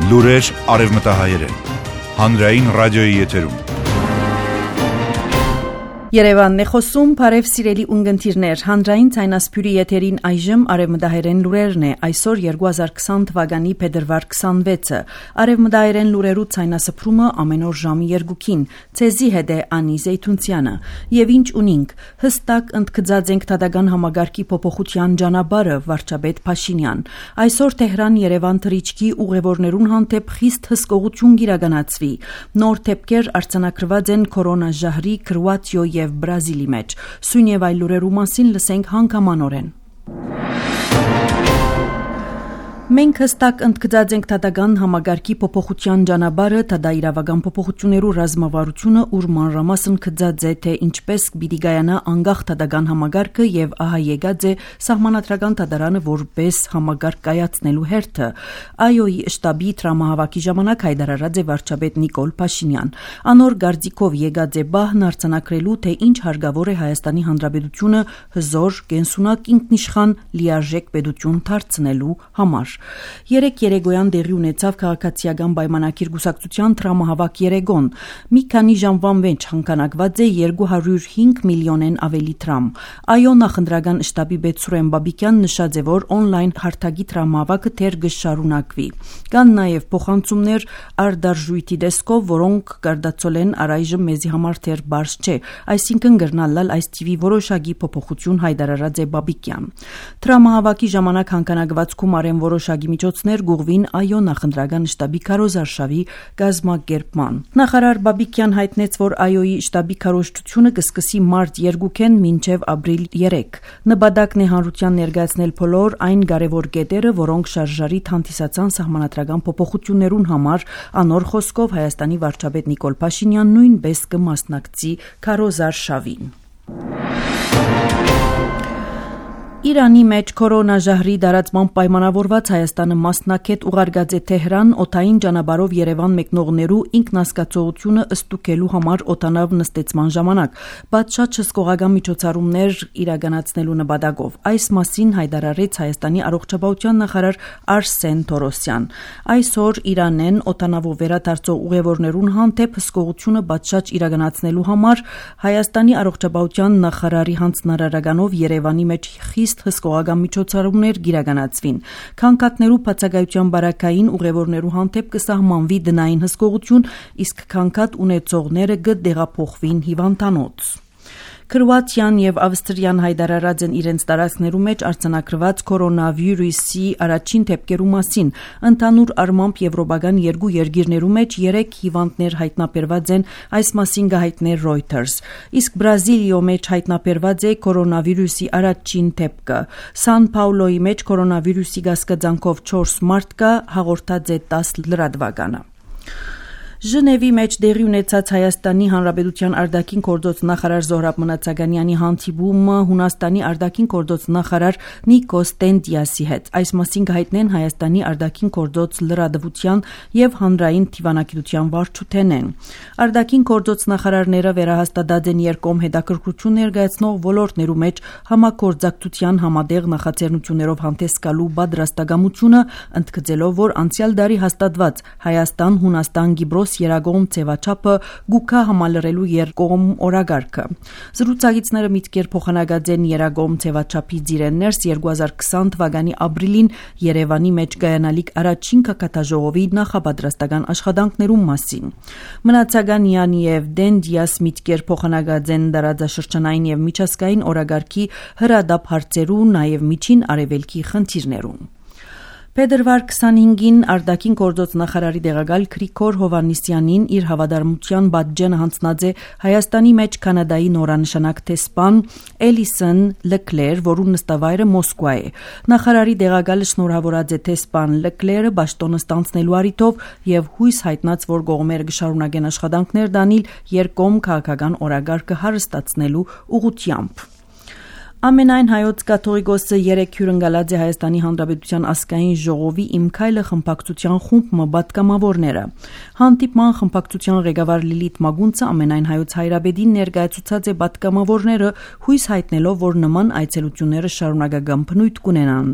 Լուրեր արևմտահայերեն, հանրային ռադիոյի եթերում։ Երևանն է խոսում, բարև սիրելի ունգընտիրներ, հանրային ցայնասփյուրի եթերին այժմ արևմտահայերեն լուրերն է, այսօր 2020 թվականի փետրվար 26-ը, արևմտահայերեն լուրերու ցայնասփրումը ամեն օր ժամի 2-ին, ցեզի հետ է Անի Զեյթունցյանը, եւ ինչ ունինք, հստակ ընդգծած ենք Դատական համագարկի փոփոխության ճանապարհը, վարչապետ Փաշինյան, այսօր Թեհրան-Երևան թռիչքի ուղևորներուն հանդեպ խիստ հսկողություն գիրականացվի, նոր թեփքեր արձանագրված են կորոնաժահրի Քրոատիո եւ Բրազիլի մեջ, սույն եւ այլ լուրերու մասին լսենք հանգամանորեն։ Մենք հստակ ընդգծած ենք Դատական համագարկի փոփոխության ճանապարհը, դա իրավական փոփոխություններու ռազմավարությունը, ուր մանրամասն գծած է, թե ինչպես պիտի գայանա անկախ Դատական համագարկը եւ ահա եկած է Սահմանադրական դատարանը որպես համագարկ կայացնելու հերթը։ ԱՅՈ-ի շտաբի տրամահավաքի ժամանակ հայտարարած է վարչապետ Նիկոլ Փաշինյան։ Անոր գարձիկով եկած է բահն արձանագրելու, թե ինչ հարկավոր է Հայաստանի Հանրապետությունը հզոր, կենսունակ, ինքնիշխան, լիարժեք պետություն դարձնելու համար։ Երեկ երեգոյան դեղի ունեցավ քաղաքացիական պայմանագիր կուսակցության տրամահավաք երեգոն։ Մի քանի ժամվան մեջ հանգանակված է 205 միլիոնեն ավելի տրամ։ ԱՅՈ նախընտրական շտաբի պետ Սուրեն Բաբիկյան նշած է, որ օնլայն հարթակի տրամահավաքը թեր կշարունակվի։ Կան նաև փոխանցումներ արդարժույթի դեսկով, որոնք կարդացոլեն առայժմ մեզի համար թեր բարձ չէ, այսինքն գրնալալ այս տիվի որոշակի փոփոխություն հայտարարած է Բաբիկյան։ Տրամահավաքի ժամանակ հանգանակված գումարեն որոշակի միջոցներ գուղվին ԱՅՈ նախընտրական շտաբի քարոզարշավի կազմակերպման։ Նախարար Բաբիկյան հայտնեց, որ ԱՅՈ-ի շտաբի քարոզչությունը կսկսի մարտ 2-ին մինչև ապրիլ 3։ Նպատակն է հանրության ներկայացնել բոլոր այն կարևոր կետերը, որոնք շարժարի հանդիսացան սահմանադրական փոփոխություններուն համար, անոր խոսքով Հայաստանի վարչապետ Նիկոլ Փաշինյան նույնպես կմասնակցի քարոզարշավին։ Իրանի մեջ կորոնաժահրի դարածման պայմանավորված Հայաստանը մասնակետ ուղարկած է Թեհրան օդային ճանապարհով Երևան մեկնողներու ինքնասկացողությունը ըստուկելու համար օդանավ նստեցման ժամանակ, պատշաճ հսկողական միջոցառումներ իրականացնելու նպատակով։ Այս մասին հայտարարեց Հայաստանի առողջապահության նախարար Արսեն Թորոսյան։ Այսօր Իրանեն օդանավով վերադարձող ուղևորներուն հանդեպ հսկողությունը պատշաճ իրականացնելու համար Հայաստանի առողջապահության նախարարի հանձնարարականով Երևանի մեջ խիստ հսկողական միջոցառումներ գիրականացվին։ Քանքատներու բացակայության բարակային ուղևորներու հանդեպ կսահմանվի դնային հսկողություն, իսկ քանքատ ունեցողները կդեղափոխվին հիվանդանոց։ Քրոատիան եւ Ավստրիան հայտարարած են իրենց տարածքներու մեջ արձանագրված կորոնավիրուսի առաջին դեպքերու մասին։ Ընդհանուր առմամբ եվրոպական երկու երկիրներու մեջ 3 հիվանդներ հայտնաբերված են, այս մասին կհայտներ Reuters։ Իսկ Բրազիլիո մեջ հայտնաբերված է կորոնավիրուսի առաջին դեպքը։ Սան Պաուլոյի մեջ կորոնավիրուսի գասկածանքով 4 մարդ կա, հաղորդած է 10 լրատվականը։ Ժնևի մեջ դեղի ունեցած Հայաստանի Հանրապետության արտաքին գործոց նախարար Զոհրաբ Մնացականյանի հանդիպումը Հունաստանի արտաքին գործոց նախարար Նիկոս Տենտիասի հետ։ Այս մասին կհայտնեն Հայաստանի արտաքին գործոց լրատվության եւ հանրային դիվանագիտության վարչութենեն։ Արտաքին գործոց նախարարները վերահաստատած են երկկողմ հետաքրքրություն ներկայացնող ոլորտներու մեջ համագործակցության համատեղ նախաձեռնություններով հանդես գալու պատրաստակամությունը, ընդգծելով, որ անցյալ դարի հաստատված Հայաստան-Հունաստան-Կիպրոս երագողմ ձևաչափը գուքա համալրելու երկկողմ օրագարկը։ Զրուցակիցները միտքեր փոխանակած են երագողմ ձևաչափի ծիրեններս 2020 թվականի ապրիլին Երևանի մեջ կայանալիք առաջին կակատաժողովի նախապատրաստական աշխատանքներու մասին։ Մնացականյան եւ Դենտիաս միտքեր փոխանակած են դարաձաշրջանային եւ միջազգային օրագարկի հրադապ հարցերու, նաեւ միջին արևելքի խնդիրներուն։ Փետրվար 25-ին արտաքին գործոց նախարարի տեղակալ Գրիգոր Հովհաննիսյանին իր հավատարմության բաժնը հանձնած է Հայաստանի մեջ Կանադայի նորանշանակ տեսփան Էլիսոն Լեկլեր, որու նստավայրը Մոսկվա է։ Նախարարի տեղակալը շնորհավորած է տեսփան Լեկլերը պաշտոնը ստանձնելու առիթով եւ հույս հայտնած, որ կողմերը կշարունակեն աշխատանքներ դանել երկկողմ քաղաքական օրագարկը հարստացնելու ուղղությամբ։ Ամենայն հայոց կաթողիկոսը 3 հյուրընկալած է Հայաստանի Հանրապետության ազգային ժողովի Իմ քայլը խմբակցության խումբ պատգամավորները։ Հանդիպման խմբակցության ղեկավար Լիլիթ Մագունցը ամենայն հայոց հայրապետին ներկայացուցած է պատգամավորները, հույս հայտնելով, որ նման այցելությունները շարունակական բնույթ կունենան։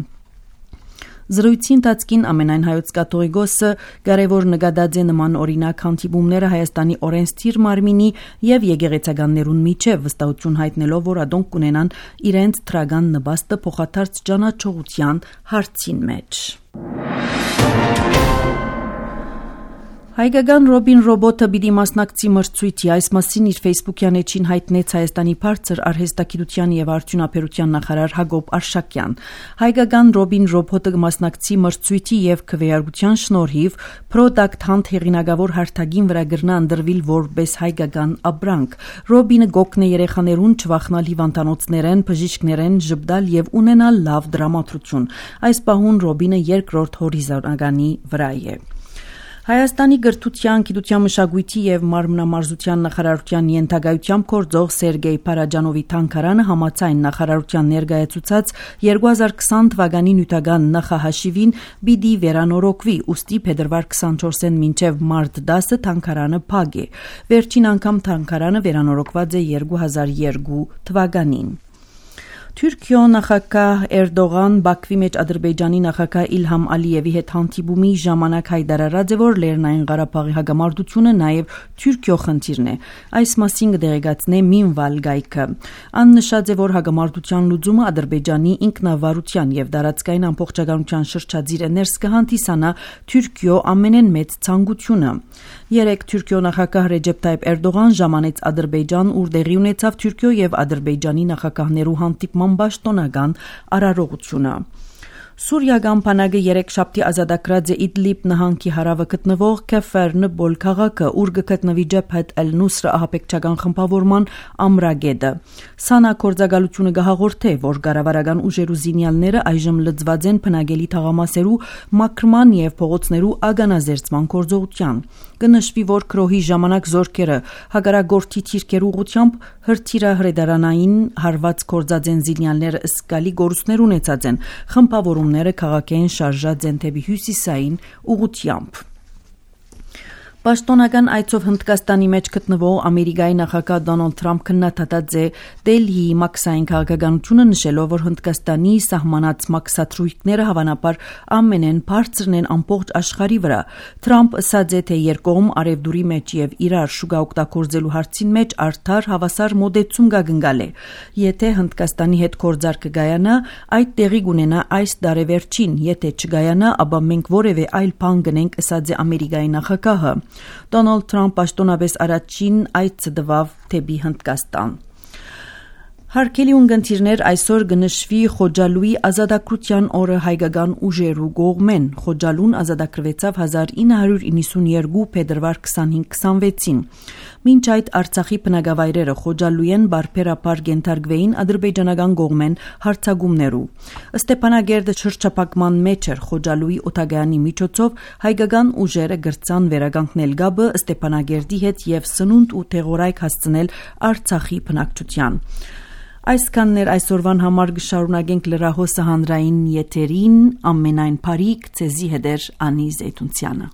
Զրույցի ընթացքին ամենայն հայոց կաթողիկոսը կարևոր նկատած է նման օրինակ հանդիպումները Հայաստանի օրենսդիր մարմինի եւ եկեղեցականներուն միջև, վստահություն հայտնելով, որ ադոնք կունենան իրենց թրագան նպաստը փոխադարձ ճանաչողության հարցին մեջ։ Հայկական Ռոբին ռոբոտը պիտի մասնակցի մրցույթի, այս մասին իր Facebook-յան էջին հայտնեց Հայաստանի բարձր արհեստագիտության եւ արդյունաբերության նախարար Հակոբ Արշակյան։ Հայկական Ռոբին ռոբոտը կմասնակցի մրցույթի եւ քվեարկության շնորհիվ Product Hunt հեղինակավոր հարթակին վրա գրնա ընդրվել որպես հայկական ապրանք։ Ռոբինը գոքն է երեխաներուն չվախնալ հիվանդանոցներեն, բժիշկներեն, ժպտալ եւ ունենալ լավ դրամատրություն։ Այս պահուն Ռոբինը երկրորդ հորիզոնականի վրա է։ Հայաստանի գրթության, գիտության, մշակույթի եւ մարմնամարզության նախարարության ենթակայությամբ գործող Սերգեյ Փարաջանովի թանգարանը համաձայն նախարարության ներկայացուցած 2020 թվականի նյութական նախահաշիվին պիտի վերանորոգվի, ուստի փետրվար 24-ին մինչեւ մարտ 10-ը թանգարանը փակ է։ Վերջին անգամ թանգարանը վերանորոգված է 2002 թվականին։ Թուրքիո նախագահ Էրդողան Բաքվի մեջ Ադրբեջանի նախագահ Իլհամ Ալիևի հետ հանդիպումի ժամանակ հայտարարած է, որ Լեռնային Ղարաբաղի հակամարտությունը նաև Թուրքիո խնդիրն է։ Այս մասին կդեղեկացնե Մինվալ գայքը։ Ան նշած է, որ հակամարտության լուծումը Ադրբեջանի ինքնավարության եւ դարածքային ամբողջականության շրջածիր ներս կհանդիսանա Թուրքիո ամենեն մեծ ցանկությունը։ Երեք Թուրքիո նախագահ Ռեջեփ Թայիփ Էրդողան ժամանեց Ադրբեջան, ուր տեղի ունեցավ Թուրքիո եւ Ադրբեջանի նախագահներու հանդիպման պաշտոնական արարողությունը։ Սուրիական բանակը երեքշաբթի ազատագրած է Իդլիբ նահանգի հարավը գտնվող Քեֆեր-Նբոլ քաղաքը, ուր գտնվի Ջեփհեթ Էլ-Նուսրը ահաբեկչական խմբավորման ամրագետը։ Սանա գործակալությունը գահաղորդե, որ կառավարական ուժերու զինյալները այժմ լծված են բնակելի թաղամասերու մաքրման եւ փողոցներու ագանազերծման գործողության։ Կնշվի, որ քրոհի ժամանակ զորքերը հակառակորդի թիրքերու ուղությամբ հրթիռահրետարանային հարված կորձած են զինյալները սկալի գորուսներ ունեցած են, խմբավորումները քաղաքային շարժած են դեպի հյուսիսային ուղությամբ։ Պաշտոնական այցով Հնդկաստանի մեջ գտնվող Ամերիկայի նախագահ Դոնալդ Թրամփ քննադատած է Դելհիի մաքսային քաղաքականությունը, նշելով, որ Հնդկաստանի սահմանած մաքսաթրույթները հավանաբար ամենեն բարձրն են ամբողջ աշխարհի վրա։ Թրամփ ասաց է, թե երկկողմ արևդուրի մեջ եւ իրար շուկա օգտագործելու հարցին մեջ արդար հավասար մոդեցում կգնգալ է։ Եթե Հնդկաստանի հետ գործարքը գայանա, այդ տեղի կունենա այս դարեվերջին, եթե չգայանա, ապա մենք որևէ այլ բան կնենք, ասաց է Ամերիկայի նախագահը։ Դոնալդ Թրամփ պաշտոնապես առաջին այցը տվավ դեպի Հնդկաստան։ Հարգելի ունգընտիրներ, այսօր կնշվի Խոջալուի ազատագրության օրը հայկական ուժերու կողմեն։ Խոջալուն ազատագրվեցավ 1992 փետրվար 25-26-ին։ Մինչ այդ Արցախի բնակավայրերը Խոջալույեն բարբերաբար կենթարկվեին ադրբեջանական կողմեն հարձակումներու։ Ստեփանագերդը շրջափակման մեջ էր Խոջալուի օտագայանի միջոցով հայկական ուժերը գրծան վերականգնել գաբը Ստեփանագերդի հետ եւ սնունդ ու թեղորայք հասցնել Արցախի բնակչության։ Այսքաններ այսօրվան համար կշարունակենք լրահոսը հանրային եթերին, ամենայն բարիք ցեզի հետեր Անի Զեյթունցյանը։